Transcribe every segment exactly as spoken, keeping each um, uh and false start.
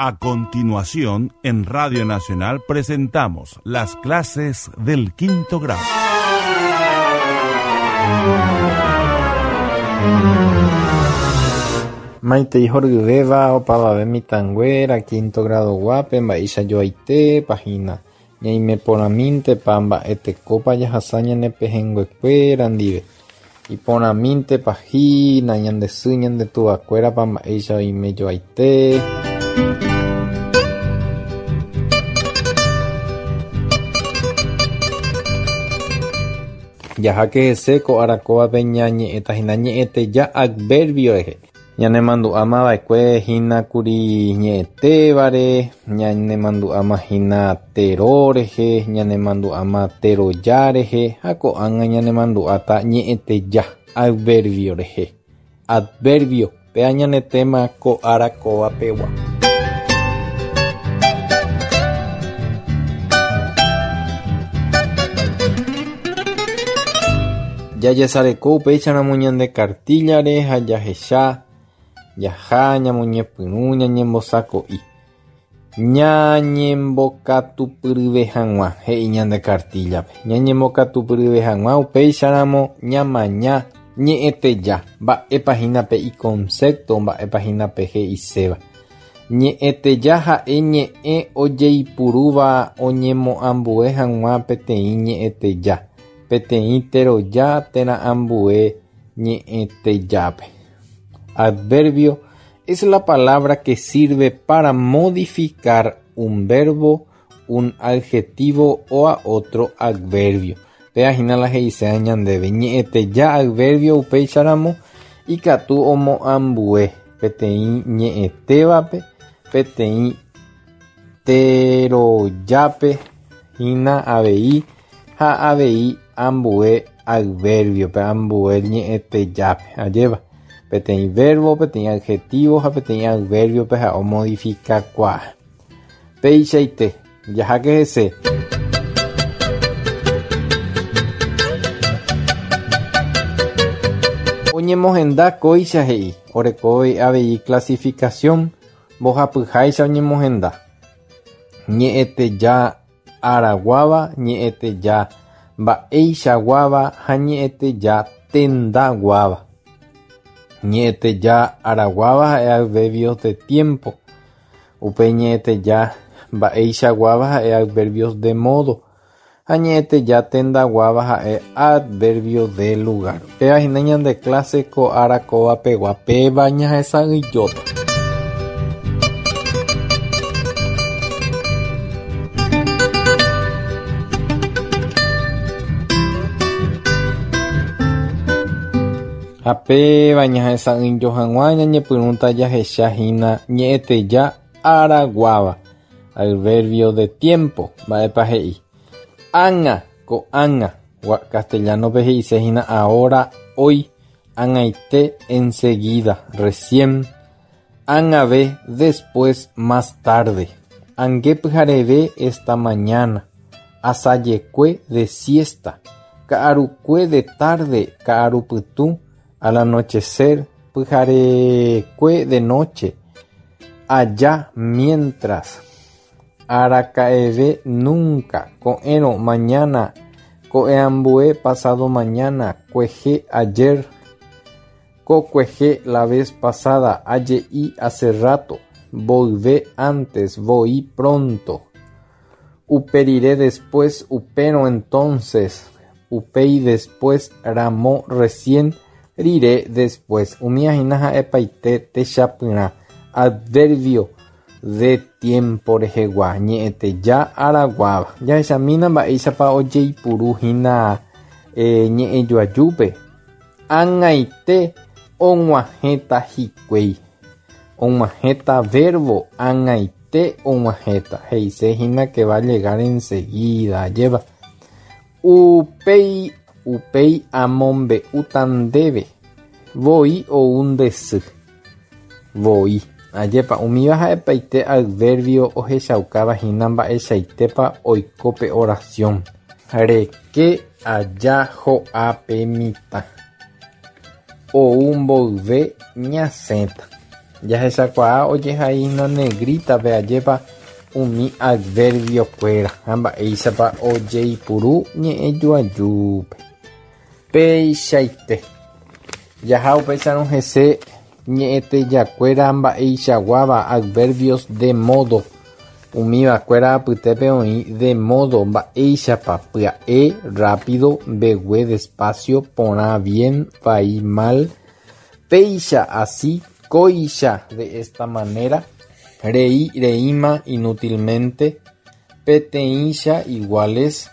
A continuación, en Radio Nacional presentamos las clases del quinto grado. Maitei horyvéva opavave mitãnguéra quinto grado guápe mba'eichajoaite página ñaimeporãmíntepa mba'etekópa jahasa ñane pehẽnguekuéra ndive iporãmíntepa hína ñande sy ñande tuvakuérapa mba'éicha oimejoaite. Jaháke hese ko arakóvape ñañe'ẽta hína ñe'ẽteja adverbio rehe. Ñanemandu'áma va'ekue hína kuri ñe'ẽtévare, ñanemandu'áma hína tero rehe, ñanemandu'áma teroja rehe ha ko'ág̃a ñanemandu'áta ñe'ẽteja adverbio rehe. Adverbio, péa ñane tema ko arakóvapegua. Jajesareko upéicharamo ñande cartillare ha jahecha jaha ñamoñepyrũ ñañembosako'i. Ñañembokatupyryve hag̃ua he'i ñande cartillape. Ñañembokatupyryve hag̃ua upéicharamo ñamaña ñe'ẽteja mba'épa hína pe iconcepto mba'épa hína pe he'iséva. Ñe'ẽteja ha'e ñe'ẽ ojeipurúva oñemoambue hag̃ua peteĩ ñe'ẽteja, peteĩ teroja térã ambue ñe'ẽtejápe. Adverbio es la palabra que sirve para modificar un verbo, un adjetivo o a otro adverbio. Péa hína la he'iséva ñandéve. Ñe'ẽteja adverbio upéicharamo ikatu omoambue peteĩ ñe'ẽtévape, peteĩ terojápe hína avei ha avei ambue adverbiope, ambue ñe'ẽtejápe. Ajépa. Peteĩ verbo, peteĩ adjetivo ha peteĩ adverbiope ha omodificakuaa. Péichaite, jaháke hese. Oñemohenda kóicha he'i, orekóve avei clasificación mbohapyháicha oñemohenda. Ñe'ẽteja araguáva, ñe'ẽteja mba'eichaguáva ha ñe'ẽteja tendaguáva. Ñe'ẽteja araguáva ha'e adverbios de tiempo. Upe ñe'ẽteja mba'eichaguáva ha'e adverbios de modo. Ha ñe'ẽteja tendaguáva ha'e adverbio de lugar. Péva hína ñande clase ko arakóvapegua péva ñahesa'ỹijóta. Ha péva ñahesa'ỹijo hag̃ua ñañepyrũta jahecha hína ñe'ẽteja araguáva, adverbio de tiempo, mba'épa he'i. Ág̃a, ko'ág̃a, castellanope he'ise hína ahora, hoy, ág̃aite, enseguida, recién, ág̃ave, después, más tarde, ange pyhareve, esta mañana, asajekue, de siesta, ka'arukue, de tarde, ka'arupytũ, al anochecer, pyharekue, de noche, allá, mientras, araka'eve, nunca, ko'ẽrõ, mañana, ko'ẽambue, pasado mañana, kuehe, ayer, kokuehe, la vez pasada, aje'i, hace rato, volvé antes, voy pronto, uperire después, upérõ entonces, upéi después, ramo recién, rire después. Umíva hína ha'epaite techapyrã. Adverbio de tiempo rehegua, ñe'ẽteja araguáva. Jahechamína mba'éichapa ojeipuru hína eh, ñe'ẽjoajúpe. Ág̃aite og̃uahẽta hikuái. Og̃uahẽta verbo, ág̃aite og̃uahẽta. He'ise hína que va a llegar enseguida. Lleva. Upéi, upéi amombe'úta ndéve. Voi ou nde sy. Voi. Ajépa umíva ha'epaite adverbio ohechaukáva hína mba'eichaitépa oiko pe oración. Reke aja ho'a pe mitã. Ou mboyve ñasẽta. Jahechakuaa ojehaína negrita-pe ajépa umi adverbio-kuéra ha mba'éichapa ojeipuru ñe'ẽjoajúpe. Peichaite. Jaha upéicharõ hese ñe'ẽtejakuéra mba'eichaguáva adverbios de modo. Umivakuéra apytépe oĩ de modo mba'éichapa pya'e, rápido, mbegue, despacio, porã, bien, vai, mal, péicha, así, kóicha, de esta manera, rei, reíma, inútilmente, peteĩcha, iguales,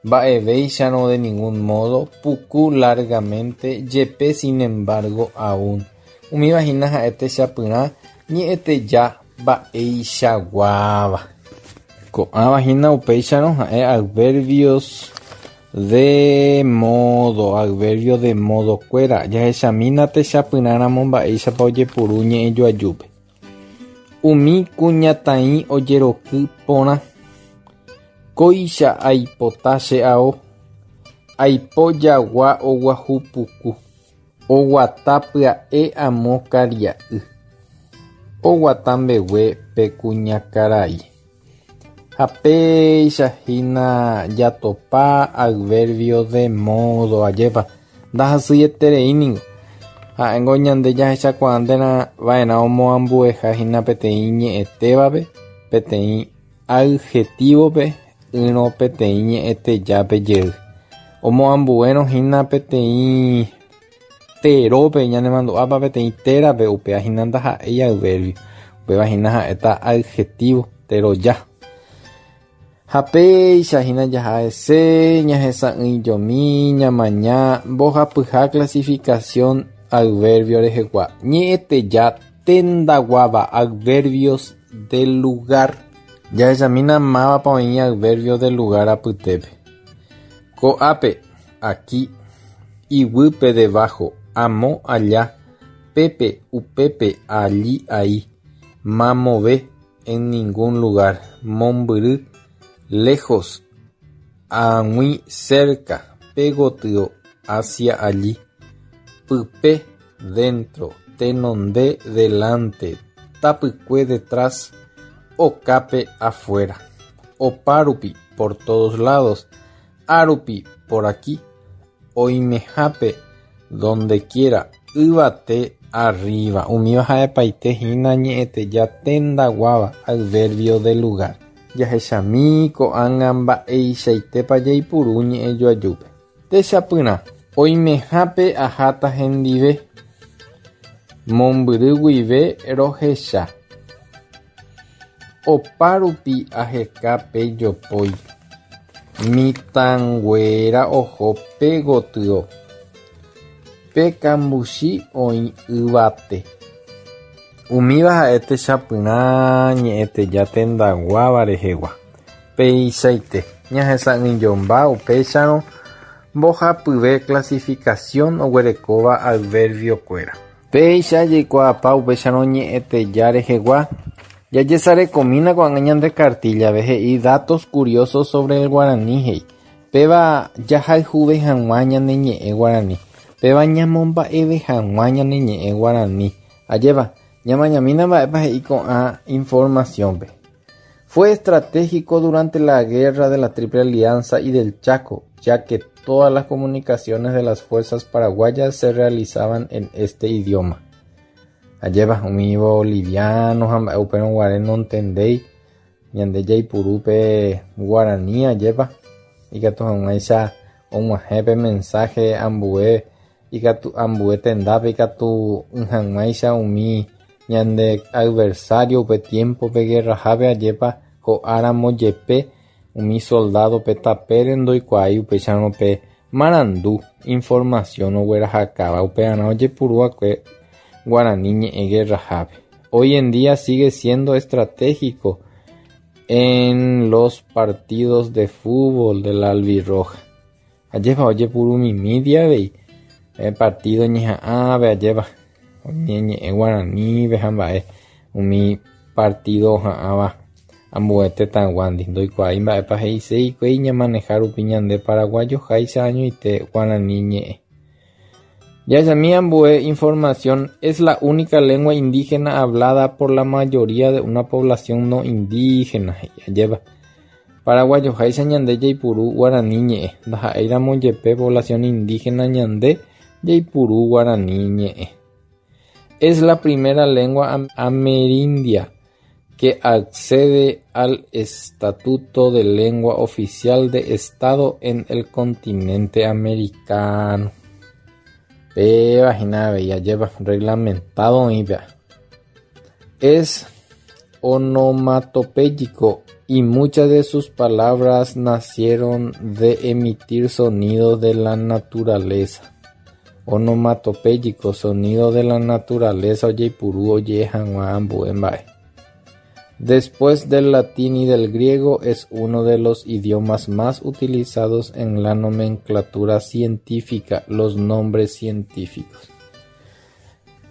mba'evéicharõ de ningún modo, puku, largamente, jepe, sin embargo, aún. Umíva hína ha'e techapyrã ñe'ẽteja mba'eichaguáva. Ko'ãva hína upéicharõ ha'e adverbios de modo, adverbio de modo kuéra. Jahechamína techapyrãramo mba'éichapa ojepuru ñe'ẽjoajúpe. Umi kuñataĩ ojeroky porã. Kóicha aipota che ao. Aipo jagua oguahu puku. Oguata pya'e amo karia'y. Oguata mbegue pe kuñakarai. Ha péicha hína jatopa adverbio de modo ajépa. Ndahasyetereíningo. Ha'éngo ñande jahechakuaánteva'erã omoambueha hína peteĩ ñe'ẽtévape, peteĩ adjetivo-pe, ỹrõ peteĩ ñe'ẽtejápe jey. Omoambuérõ hína peteĩ terópe ñanemandu'ápa peteĩ térape upéva hína ndaha'éi adverbio. Upéva hína ha'éta adjetivo teroja. Ha péicha hína jaha'ese ñahesa'ỹijomi ñamaña mbohapyha clasificación adverbio rehegua. Ñe'ẽteja tendaguáva adverbios de lugar. Jahechamína mávapa oĩ adverbio de lugar apytépe. Ko'ápe, aquí, iguýpe debajo, amo allá, pépe, upépe, allí, ahí, mamove, en ningún lugar, mombyry, lejos, ag̃ui, cerca, pégotyo, hacia allí, pype, dentro, tenonde, delante, tapykue, detrás, okápe, afuera, opárupi, por todos lados, árupi, por aquí, oimehápe, donde quiera, yvate, arriba. Umíva ha'epaite hína ñe'ẽteja tendaguáva adverbio de lugar. Jahechami ko'ág̃a mba'eichaitépa jaipuru ñe'ẽjoajúpe. Techapyrã. Oimehápe aháta hendive. Mombyry guive rohecha. Opárupi aheka pe jopói. Mitãnguéra oho pégotyo. Pe kambuchi oĩ yvate. Umíva ha'e techapyrã ñe'ẽteja tendaguáva rehegua. Peichaite ñahesa'ỹijomba upéicharõ mbohapyve clasificación oguerekóva adverbio-kuéra. Péicha jaikuaapa upéicharõ ñe'ẽteja rehegua. Jajesarekomína ko'ág̃a ñande cartilla-pe he'i datos curiosos sobre el guaraní he'i. Péva jahayhuve hag̃ua ñane ñe'ẽ guaraní. Péva ñamomba'eve hag̃ua ñane ñe'ẽ guaraní. Ajépa ñamañamína mba'épa he'i ko'ã información-pe. Fue estratégico durante la guerra de la Triple Alianza y del Chaco, ya que todas las comunicaciones de las fuerzas paraguayas se realizaban en este idioma. Ajépa umi bolivianos ha mba'e upérõ guare nontendéi ñande jaipurúpe guaraní ajépa ikatu hag̃uáicha og̃uahẽ pe mensaje ambue ikatu ambue tendápe ikatu hag̃uáicha umi ñande adversario upe tiempo-pe guerrahápe ajépa ho'áramo jepe umi soldado pe tapére ndoikuaái upéicharõ pe marandu información oguerahakáva upearã ojepurúakue guaraní ñe'ẽ guerrahápe. Hoy en día sigue siendo estratégico en los partidos de fútbol de la albirroja. Ajépa ojepurumimi avei partido ñeha'ãve ajépa oñeñe'ẽ guaranípe ha mba'e umi partido oha'ãva ambue tetãyguándi ndoikuaái mba'épa he'ise hikuái ñamaneha rupi ñande paraguayoháicha añoite guarani ñe'ẽ. Jahechami ambue información: es la única lengua indígena hablada por la mayoría de una población no indígena. Ajépa paraguayoháicha ñande jaipuru guarani ñe'ẽ, ndaha'éiramo jepe población indígena ñande jaipuru guarani ñe'ẽ. Es la primera lengua amerindia que accede al estatuto de lengua oficial de Estado en el continente americano. Péva hína avei ajépa reglamentado oĩ péva. Es onomatopéyico y muchas de sus palabras nacieron de emitir sonidos de la naturaleza. Onomatopéyico, sonido de la naturaleza, ojeipuru oje'e hag̃ua ambue mba'e. Después del latín y del griego, es uno de los idiomas más utilizados en la nomenclatura científica, los nombres científicos.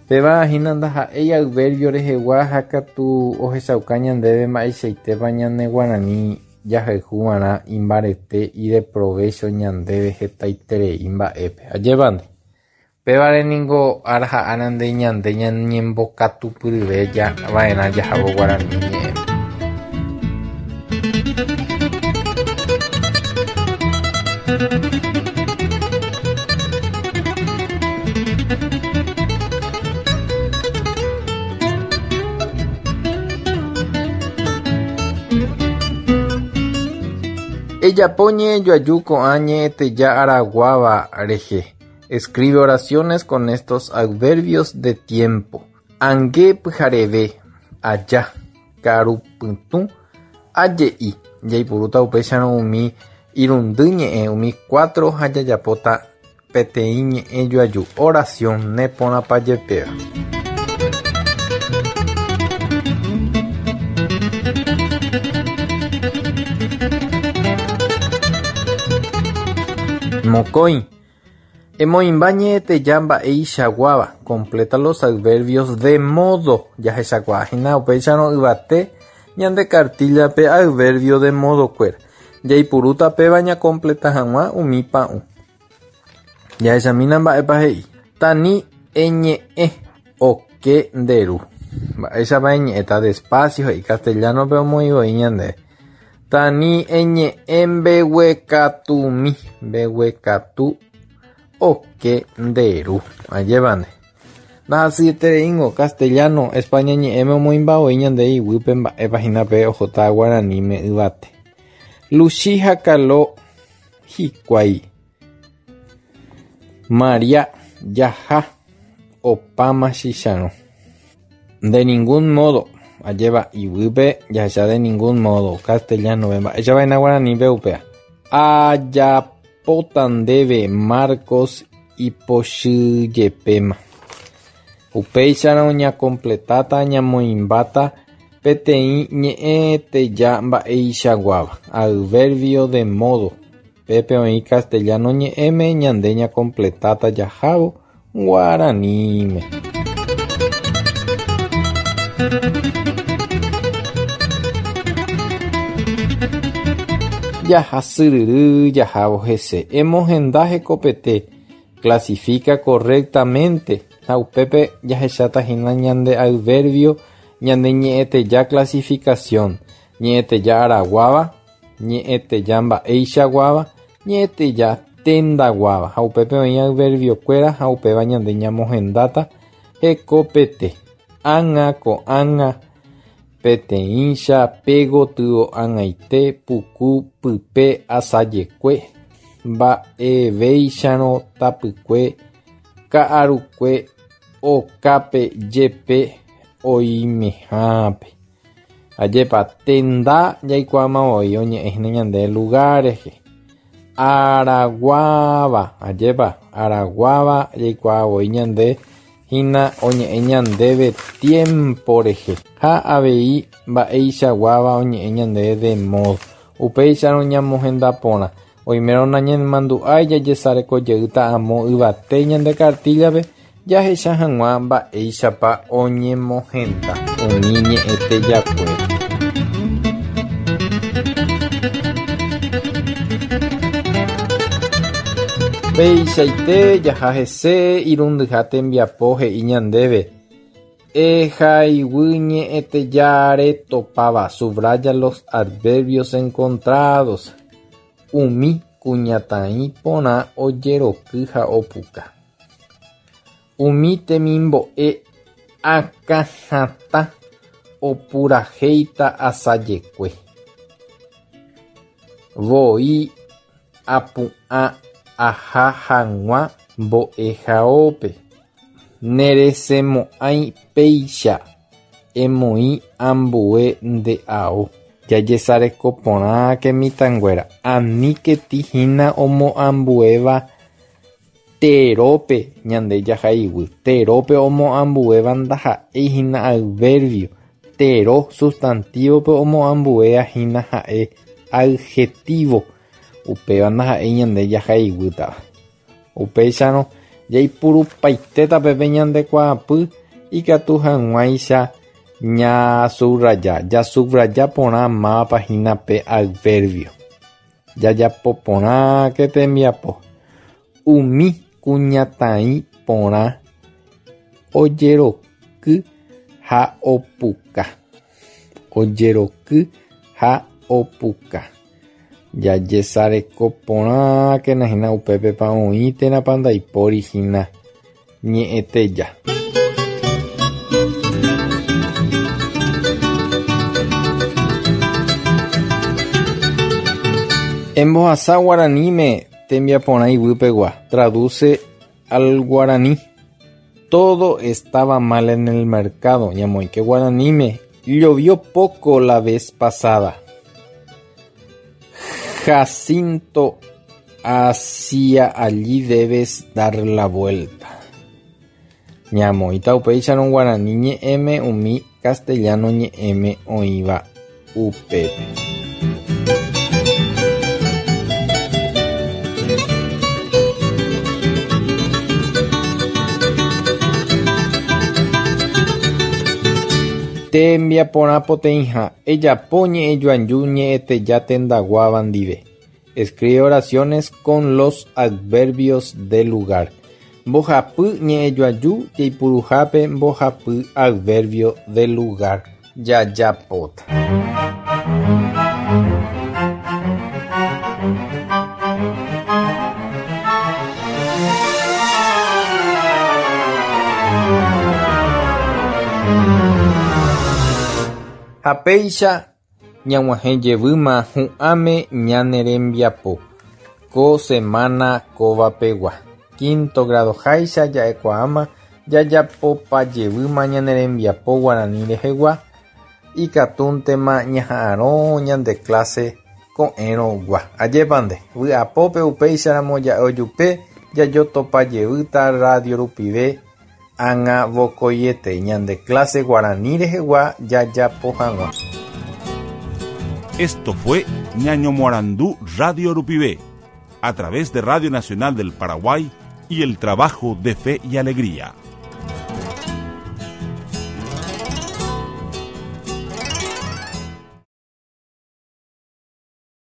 Péva hína ndaha'éi adverbio rehegua ha katu ohechauka ñandéve mba'eichaitépa ñane guarani jahayhuva'erã imbarete ideprovecho ñandéve hetaiterei mba'épe. Ajépa nde. Pévare ningo ára ha ára nde ñande ñañembokatupyryve va'erã jahávo guarani ñe'ẽme. Ejapo ñe'ẽjoaju ko'ã ñe'ẽteja araguáva rehe. Escribe oraciones con estos adverbios de tiempo. Ange pyhareve, aja, ka'arupytũ, aje'i. Jaipurúta upéicharõ umi irundy ñe'ẽ, umi cuatro ha jajapóta peteĩ ñe'ẽjoaju. Oración neporãpa jepéva. Mokõi. Emoĩmba ñe'ẽteja mba'eichaguáva. Completa los adverbios de modo. Jahechakuaahína upéicharõ yvate ñande cartilla-pe adverbio de modo-kuéra. Jaipurúta péva ñacompleta hag̃ua umi pa'ũ. Jahechamína mba'épa he'i. Tani eñe'ẽ oke nde ru. Mba'éichapa eñe'ẽta despacio he'i castellano-pe omoĩvoi ñande. Tani eñe'ẽ mbeguekatumi, mbeguekatu oke nde ru. Ajépa nde. Ndahasyetereíngo castellano España ñe'ẽme omoĩmbavoi ñande iguýpe mba'épa hína pe ohóta guaraníme yvate. Luchi ha Kalo hikuái. Maria jaha opáma chicharõ. De ningún modo. Ajépa iguýpe jahecha de ningún modo castellano-pe mba'éichapa hína guaranípe upéva. Ajapóta ndéve Marcos ipochyjepéma. Upéicharõ ñacompletáta ñamoĩmbáta peteĩ ñe'ẽteja mba'eichaguáva. Adverbio de modo. Pépe oĩ castellano ñe'ẽme ñande ñacompletáta jahávo guaraníme. Jahasyryry jahávo hese. Emohenda hekopete. Clasifica correctamente. Ha upépe jahecháta hína ñande adverbio ñande ñe'ẽteja clasificación. Ñe'ẽteja araguáva, ñe'ẽteja mba'eichaguáva, ñe'ẽteja tendaguáva. Ha upépe oĩ adverbiokuéra ha upéva ñande ñamohendáta hekopete. Ág̃a ko'ág̃a peteĩcha pegotyo ag̃aite puku pype asajekue mba'evéicharõ tapykue ka'arukue okápe jepe oimehápe. Ajépa tenda jaikuaamavoi oñe'ẽ hína ñande lugar rehe. Araguáva, ajépa araguáva jaikuaavoi ñande hína oñe'ẽ ñandéve tiempo rehe. Ha avei mba'eichaguáva oñe'ẽ ñandéve de modo. Upéicharõ ñamohenda porã. Oimérõ nañemandu'ái jajesarekojeýta amo yvate ñande cartilla-pe jahecha hag̃ua mba'éichapa oñemohenda umi ñe'ẽtejakuéra. Peichaite jaha hese irundyha tembiapo he'i ñandéve. Ehaiguy ñe'ẽtejáre topáva. Subraya los adverbios encontrados. Umi kuñataĩ porã ojeroky ha opuka. Umi temimbo'e akãhatã opurahéita asajekue. Voi apu'ã aha hag̃ua mbo'ehaópe. Neresẽmo'ãi péicha emoĩ ambue nde ao. Jajesareko porãke mitãnguéra. Aníketi hína omoambuéva terópe ñande jahaiguy. Terópe omoambuéva ndaha'éi hína adverbio. Tero sustantivo-pe omoambuéva hína ha'e adjetivo. Upéva ndaha'éi ñande jahaiguýtava. Upéicharõ jaipurupaitéta peve ñande kuaapy ikatu hag̃uáicha ñasubraja. Jasubraja porã mávapa hína pe adverbio. Jajapo porãke tembiapo. Umi kuñataĩ porã ojeroky ha opuka. Ojeroky ha opuka. Jajesareko porãkena hína upépepa oĩ térãpa ndaipóri hína ñe'ẽteja. Embohasa guaraníme tembiaporã iguýpegua. Traduce al guaraní. Todo estaba mal en el mercado. Ñamoĩke guaraníme. Llovió poco la vez pasada. Jacinto, hacia allí debes dar la vuelta. Ñamoĩta upéicharõ guarani ñe'ẽme umi castellano ñe'ẽme oĩva upépe. Tembiaporã poteĩha. Ejapo ñe'ẽjoaju ñe'ẽteja tendaguáva ndive. Escribe oraciones con los adverbios de lugar. Mbohapy ñe'ẽjoaju jaipuruhápe mbohapy adverbio de lugar. Jajapóta. Ha péicha ñag̃uahẽ jevýma hu'ãme ñane rembiapo. Ko semana kóvapegua. Quinto grado háicha ja'ekuaáma jajapopa jevýma ñane rembiapo guarani rehegua. Ikatúntema ñaha'arõ ñande clase ko'ẽrõgua. Ajépante, vy'apópe upéicharamo ja'e ojupe jajotopa jevýta radio rupive ág̃a vokoiete ñande clase guarani rehegua jajapo hag̃ua. Esto fue Ñaño Morandú Radio Rupive, a través de Radio Nacional del Paraguay y el trabajo de Fe y Alegría.